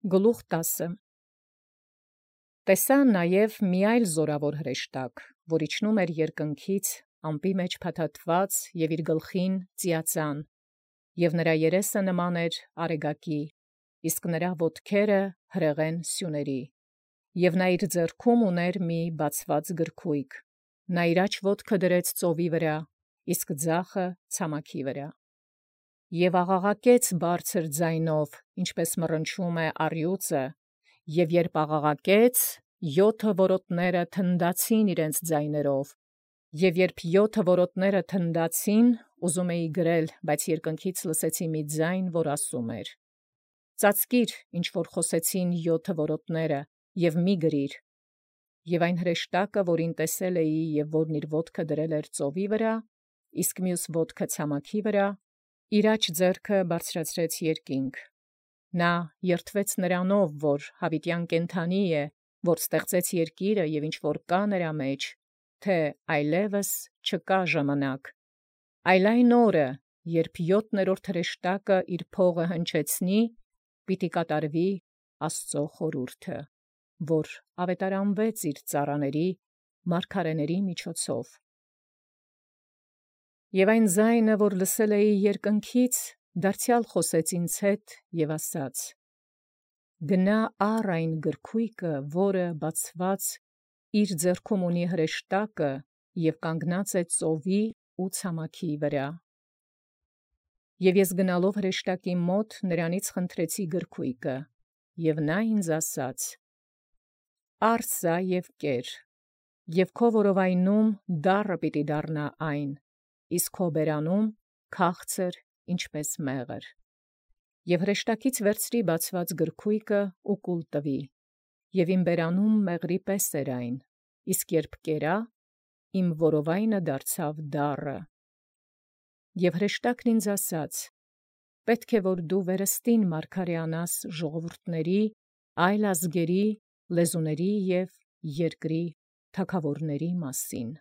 Գլուխ 10 Տեսա նաև մի այլ զորավոր հրեշտակ, որ իջնում էր երկնքից, ամպի մեջ փաթաթված և իր գլխին ծիածան, և նրա երեսը նման էր արեգակի, իսկ նրա ոտքերը հրեղեն սյուների, և նա իր ձեռքում ուներ մի բացված գրքույկ, նա իր աջ ոտքը դրեց ծովի վրա, իսկ ձախը ցամաքի վրա. Եւ աղաղակեց բարձր ձայնով, ինչպես մռնչում է առյուծը, և երբ աղաղակեց, 7 որոտները թնդացին իրենց ձայներով, և երբ 7 որոտները թնդացին, ուզում էի գրել, բայց երկնքից լսեցի մի ձայն, որ ասում էր. «Ծածկիր, ինչ որ խոսեցին 7 որոտները, և մի գրիր»։ Եւ այն հրեշտակը, որին տեսել էի, եւ որն իր ոտքը դրել էր ծովի վրա, իսկ մյուս ոտքը ցամաքի վրա, իր աջ ձեռքը բարձրացրեց երկինք. նա երդվեց նրանով, որ յաւիտեան կենդանի է, որ ստեղծեց երկիրը եւ ինչ որ կա նրա մեջ, թե այլևս չկա ժամանակ, այլ այն օրը, երբ 7-րդ հրեշտակը իր փողը հնչեցնի, պիտի կատարվի Աստուծոյ խորհուրդը, որ աւետարանվեց իր ծառաների մարգարեաց միջոցով։ Եւ այն ձայնը, որ լսել էի երկնքից, դարձեալ խոսեց ինձ հետ և ասաց. «Գնա առ այն գրքույկը, որը բացված իր ձեռքում ունի հրեշտակը և կանգնած է ծովի ու ցամաքի վրա»։ Եւ ես գնալով հրեշտակի մոտ նրանից խնդրեցի գրքույկը, և նա ինձ ասաց. «Առ սա և կեր, և քո որովայնում դառը պիտի դառնա այն, իսկ քո բերանում քաղցր ինչպէս մեղր։ Եւ հրեշտակից վերցրի բացված գրքույկը ու կուլ տուի, և իմ բերանում մեղրի պես էր այն, իսկ երբ կերա, իմ որովայնը դարձավ դառը։ Եւ հրեշտակն ինձ ասաց. «Պետք է որ դու վերստին մարգարեանաս ժողովուրդների, այլ ազգերի, լեզուների և երկրի թագաւորացն մասին»։